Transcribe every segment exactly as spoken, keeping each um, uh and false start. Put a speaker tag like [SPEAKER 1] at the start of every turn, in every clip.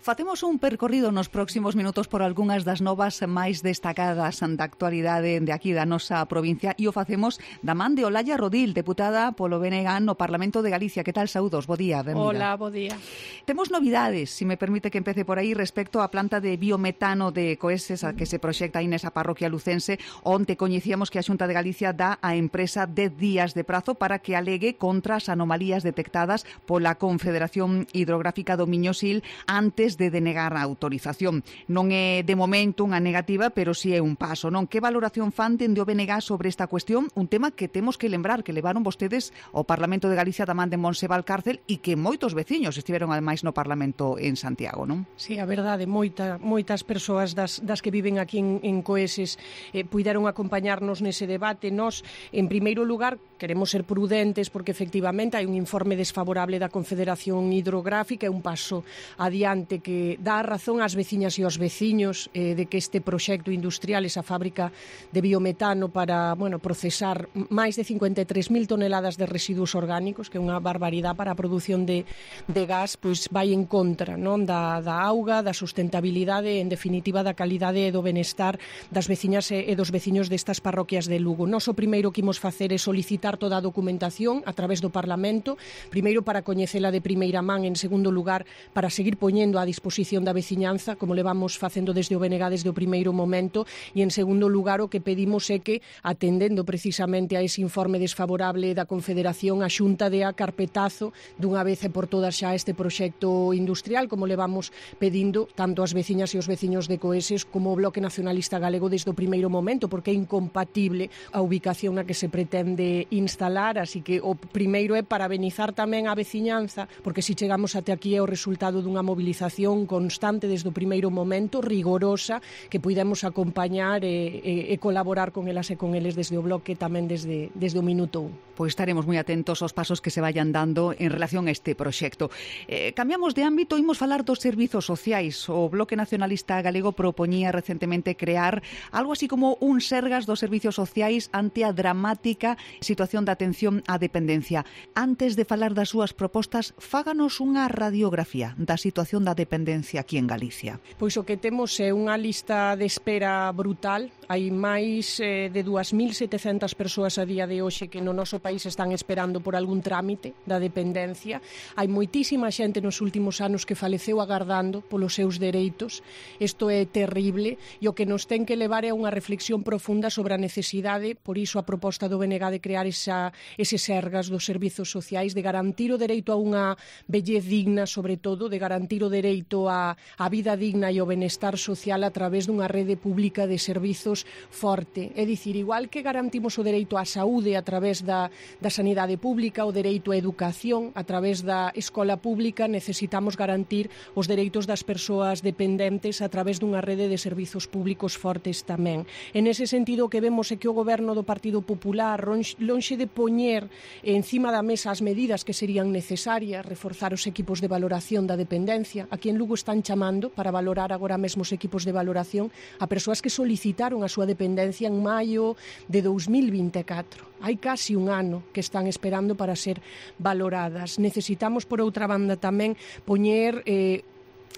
[SPEAKER 1] Facemos un percorrido nos próximos minutos por algunhas das novas máis destacadas da actualidade de aquí da nosa provincia e o facemos da man de Olalla Rodil, deputada polo B N G no Parlamento de Galicia. Que tal, saúdos? Bo día, benvida.
[SPEAKER 2] Hola, bo día.
[SPEAKER 1] Temos novidades, se me permite que empece por aí, respecto á planta de biometano de Coeses a que se proxecta aí nesa parroquia lucense, onde coñecíamos que a Xunta de Galicia dá á empresa dez días de prazo para que alegue contra as anomalías detectadas pola Confederación Hidrográfica do Miño-Sil antes de denegar a autorización. Non é de momento unha negativa, pero si é un paso, non? Que valoración fan dende o B N G sobre esta cuestión? Un tema que temos que lembrar que levaron vostedes ao Parlamento de Galicia da man de Montse Valcárcel e que moitos veciños estiveron ademais no Parlamento en Santiago, non?
[SPEAKER 2] Sí, a verdade, moita, moitas persoas das, das que viven aquí en, en Coeses eh, puideron acompañarnos nese debate. Nos, en primeiro lugar, queremos ser prudentes porque efectivamente hai un informe desfavorable da Confederación Hidrográfica, é un paso adiante que dá razón ás veciñas e aos veciños eh, de que este proxecto industrial, esa fábrica de biometano para, bueno, procesar máis de cincuenta e tres mil toneladas de residuos orgánicos, que é unha barbaridade para a produción de, de gas, pois vai en contra, non, da, da auga, da sustentabilidade, en definitiva da calidade e do benestar das veciñas e, e dos veciños destas parroquias de Lugo. Nos o primeiro que imos facer é solicitar toda a documentación a través do Parlamento, primeiro para coñecela de primeira man, en segundo lugar para seguir poñendo a disposición da veciñanza, como levamos facendo desde o B N G desde o primeiro momento, e en segundo lugar o que pedimos é que, atendendo precisamente a ese informe desfavorable da Confederación, a Xunta dea carpetazo dunha vez e por todas xa este proxecto industrial, como levamos pedindo tanto as veciñas e os veciños de Coeses como o Bloque Nacionalista Galego desde o primeiro momento, porque é incompatible a ubicación na que se pretende instalar, así que o primeiro é parabenizar tamén a veciñanza, porque se chegamos até aquí é o resultado dunha movilización constante desde o primeiro momento, rigorosa, que puidemos acompañar e, e, e colaborar con elas e con eles desde o Bloque tamén desde, desde o minuto un.
[SPEAKER 1] Pois estaremos moi atentos aos pasos que se vayan dando en relación a este proxecto. Eh, cambiamos de ámbito, imos falar dos servizos sociais. O Bloque Nacionalista Galego propoñía recentemente crear algo así como un Sergas dos servizos sociais ante a dramática situación de atención á dependencia. Antes de falar das súas propostas, fáganos unha radiografía da situación da dependencia aquí en Galicia.
[SPEAKER 2] Pois o que temos é unha lista de espera brutal. Hai máis eh, de dúas mil setecentas persoas a día de hoxe que no noso país están esperando por algún trámite da dependencia. Hai moitísima xente nos últimos anos que faleceu agardando polos seus dereitos. Isto é terrible e o que nos ten que levar é unha reflexión profunda sobre a necesidade, por iso a proposta do B N G de crear esa, ese Sergas dos servizos sociais, de garantir o dereito a unha vellez digna, sobre todo, de garantir o dereito a, a vida digna e o benestar social a través dunha rede pública de servizos forte. É dicir, igual que garantimos o dereito á saúde a través da, da sanidade pública, o dereito á educación a través da escola pública, necesitamos garantir os dereitos das persoas dependentes a través dunha rede de servizos públicos fortes tamén. En ese sentido, o que vemos é que o goberno do Partido Popular, lonxe de poñer encima da mesa as medidas que serían necesarias, reforzar os equipos de valoración da dependencia. Aquí en Lugo están chamando para valorar agora mesmo os equipos de valoración a persoas que solicitaron a súa dependencia en maio de dous mil vinte e catro. Hai casi un ano que están esperando para ser valoradas. Necesitamos, por outra banda, tamén poñer eh,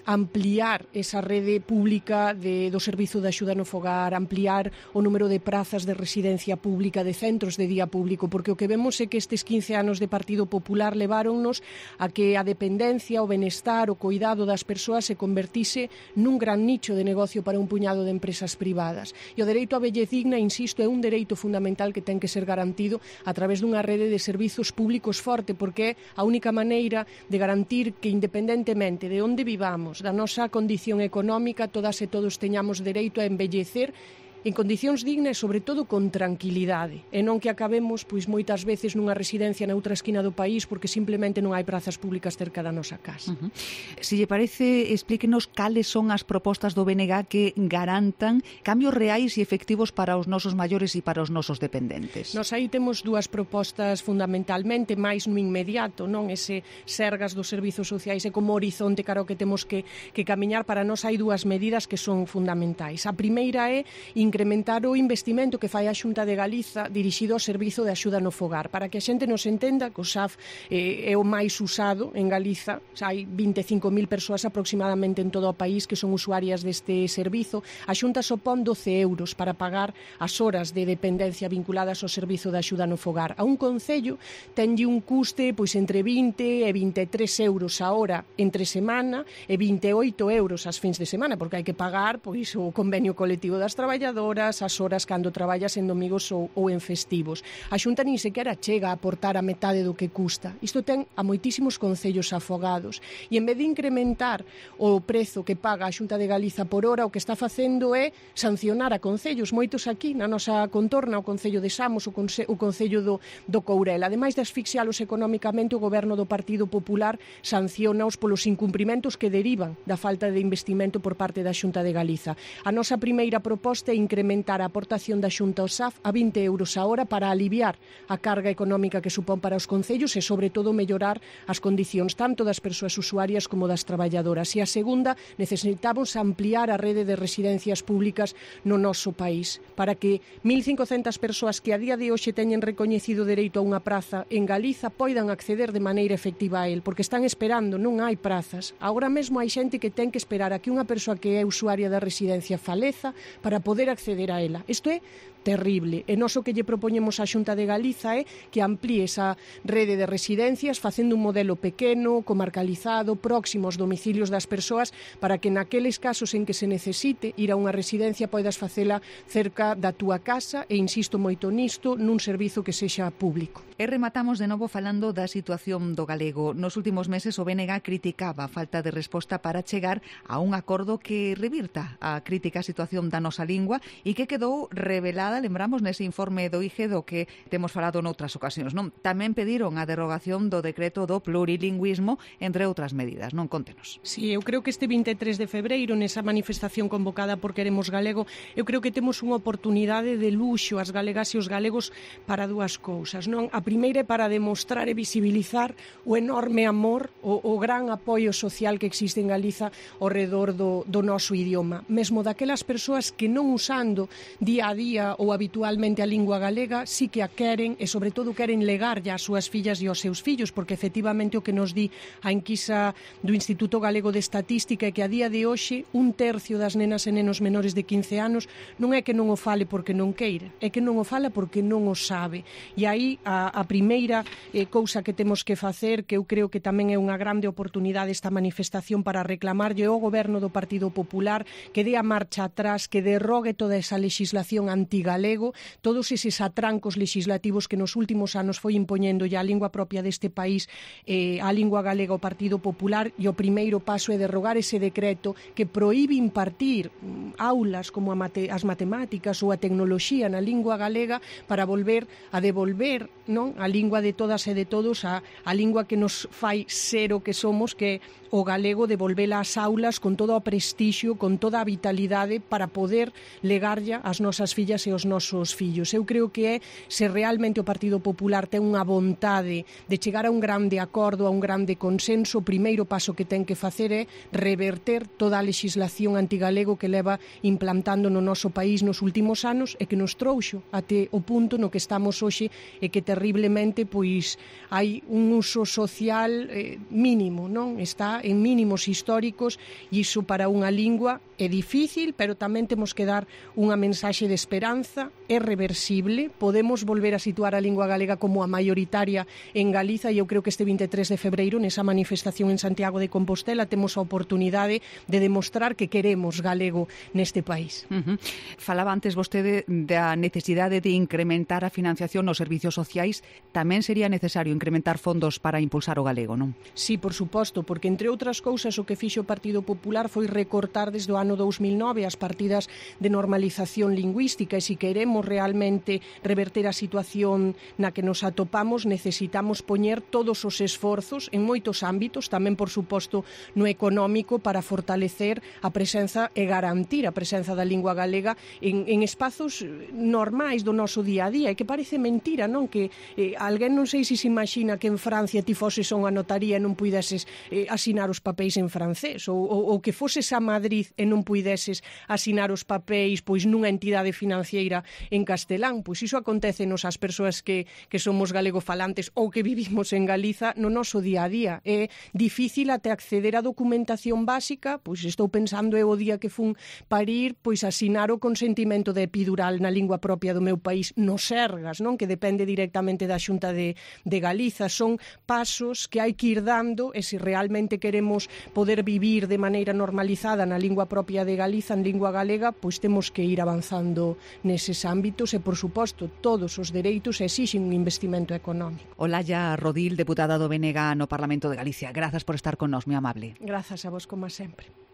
[SPEAKER 2] ampliar esa rede pública de, do servizo de axuda no fogar, ampliar o número de prazas de residencia pública, de centros de día público, porque o que vemos é que estes quince anos de Partido Popular leváronnos a que a dependencia, o benestar, o cuidado das persoas se convertise nun gran nicho de negocio para un puñado de empresas privadas. E o dereito á vellez digna, insisto, é un dereito fundamental que ten que ser garantido a través dunha rede de servizos públicos forte, porque é a única maneira de garantir que, independentemente de onde vivamos, da nosa condición económica, todas e todos teñamos dereito a envellecer en condicións dignas e, sobre todo, con tranquilidade, e non que acabemos pois moitas veces nunha residencia na outra esquina do país porque simplemente non hai prazas públicas cerca da nosa casa.
[SPEAKER 1] Uh-huh. Se lle parece, explíquenos cales son as propostas do B N G que garantan cambios reais e efectivos para os nosos maiores e para os nosos dependentes.
[SPEAKER 2] Nos aí temos dúas propostas fundamentalmente, máis no inmediato, non? Ese Sergas dos servizos sociais e como horizonte cara ao que temos que, que camiñar. Para nós hai dúas medidas que son fundamentais. A primeira é incrementar o investimento que fai a Xunta de Galiza dirixido ao servizo de axuda no fogar. Para que a xente nos entenda que o S A F eh, é o máis usado en Galiza, hai vinte e cinco mil persoas aproximadamente en todo o país que son usuarias deste servizo. A Xunta sopón doce euros para pagar as horas de dependencia vinculadas ao servizo de axuda no fogar. A un concello tenlle un custe pois entre vinte e vinte e tres euros a hora entre semana e vinte e oito euros as fins de semana, porque hai que pagar pois o convenio colectivo das traballadoras, as horas cando traballas en domingos ou, ou en festivos. A Xunta nin sequera chega a aportar a metade do que custa. Isto ten a moitísimos concellos afogados e en vez de incrementar o prezo que paga a Xunta de Galiza por hora, o que está facendo é sancionar a concellos, moitos aquí na nosa contorna, o Concello de Samos, o, conce, o Concello do, do Courel. Ademais de asfixialos economicamente, o Goberno do Partido Popular sancionaos polos incumprimentos que derivan da falta de investimento por parte da Xunta de Galiza. A nosa primeira proposta é incrementar a aportación da Xunta ao S A F a vinte euros a hora para aliviar a carga económica que supón para os concellos e, sobre todo, mellorar as condicións tanto das persoas usuarias como das traballadoras. E a segunda, necesitamos ampliar a rede de residencias públicas no noso país para que mil cincocentas persoas que a día de hoxe teñen recoñecido dereito a unha praza en Galiza poidan acceder de maneira efectiva a él, porque están esperando, non hai prazas. Agora mesmo hai xente que ten que esperar a que unha persoa que é usuaria da residencia faleza para poder acceder a ela. Isto é terrible. E nós o que lle propoñemos á Xunta de Galiza é que amplíe esa rede de residencias facendo un modelo pequeno, comarcalizado, próximo aos domicilios das persoas para que naqueles casos en que se necesite ir a unha residencia poidas facela cerca da túa casa e insisto moito nisto, nun servizo que sexa público.
[SPEAKER 1] E rematamos de novo falando da situación do galego. Nos últimos meses o B N G criticaba a falta de resposta para chegar a un acordo que revirta a crítica situación da nosa lingua e que quedou revelada, lembramos, nese informe do I G E do que temos falado noutras ocasións, non? Tamén pediron a derogación do decreto do plurilingüismo, entre outras medidas, non? Contenos.
[SPEAKER 2] Sí, eu creo que este vinte e tres de febreiro, nesa manifestación convocada por Queremos Galego, eu creo que temos unha oportunidade de luxo as galegas e os galegos para dúas cousas, non? A primeira é para demostrar e visibilizar o enorme amor, o, o gran apoio social que existe en Galiza ao redor do, do noso idioma, mesmo daquelas persoas que non usando día a día ou habitualmente a lingua galega, sí que a queren e sobre todo queren legarlle ás súas fillas e aos seus fillos, porque efectivamente o que nos di a enquisa do Instituto Galego de Estatística é que a día de hoxe un tercio das nenas e nenos menores de quince anos non é que non o fale porque non queira, é que non o fala porque non o sabe. E aí a, a primeira eh, cousa que temos que facer, que eu creo que tamén é unha grande oportunidade esta manifestación para reclamarlle ao Goberno do Partido Popular que dé a marcha atrás, que derrogue toda esa legislación antigalego, todos eses atrancos legislativos que nos últimos anos foi impoñendo ya a lingua propia deste país, eh, a lingua galega ao Partido Popular, e o primeiro paso é derrogar ese decreto que proíbe impartir mm, aulas como a mate, as matemáticas ou a tecnoloxía na lingua galega para volver a devolver, non, a lingua de todas e de todos, a, a lingua que nos fai ser o que somos, que o galego, devolvela ás aulas con todo o prestixio, con toda a vitalidade para poder legarlle ás nosas fillas e aos nosos fillos. Eu creo que é, se realmente o Partido Popular ten unha vontade de chegar a un grande acordo, a un grande consenso, o primeiro paso que ten que facer é reverter toda a legislación antigalego que leva implantando no noso país nos últimos anos e que nos trouxo até o punto no que estamos hoxe e que terriblemente pois hai un uso social eh, mínimo, non? Está en mínimos históricos e iso para unha lingua é difícil, pero tamén temos que dar unha mensaxe de esperanza, é reversible, podemos volver a situar a lingua galega como a maioritaria en Galiza e eu creo que este vinte e tres de febreiro nesa manifestación en Santiago de Compostela temos a oportunidade de demostrar que queremos galego neste país.
[SPEAKER 1] Uh-huh. Falaba antes vostede da necesidade de incrementar a financiación nos servicios sociais, tamén sería necesario incrementar fondos para impulsar o galego, non?
[SPEAKER 2] Sí, por suposto, porque entre outras cousas o que fixo o Partido Popular foi recortar desde o ano dous mil nove as partidas de normalización lingüística e si queremos realmente reverter a situación na que nos atopamos, necesitamos poñer todos os esforzos en moitos ámbitos, tamén, por suposto, no económico, para fortalecer a presenza e garantir a presenza da lingua galega en, en espazos normais do noso día a día, e que parece mentira, non? Que eh, alguén non sei se se imagina que en Francia ti foses a unha notaría e non puideses eh, asinar os papéis en francés, ou, ou, ou que foses a Madrid e non puideses asinar os papéis pois nunha entidade financiera en castelán. Pois iso acontece nos as persoas que, que somos galegofalantes ou que vivimos en Galiza no noso día a día. É difícil até acceder á documentación básica, pois estou pensando eu o día que fun parir, pois asinar o consentimento de epidural na lingua propia do meu país, no Sergas, non? Que depende directamente da Xunta de, de Galiza. Son pasos que hai que ir dando, e se realmente queremos poder vivir de maneira normalizada na lingua propia de Galiza, en lingua galega, pois temos que ir avanzando neses ámbitos, e, por suposto, todos os dereitos exixen un investimento económico.
[SPEAKER 1] Olalla Rodil, deputada do B N G no Parlamento de Galicia. Grazas por estar con nós, moi amable.
[SPEAKER 2] Grazas a vos, como sempre.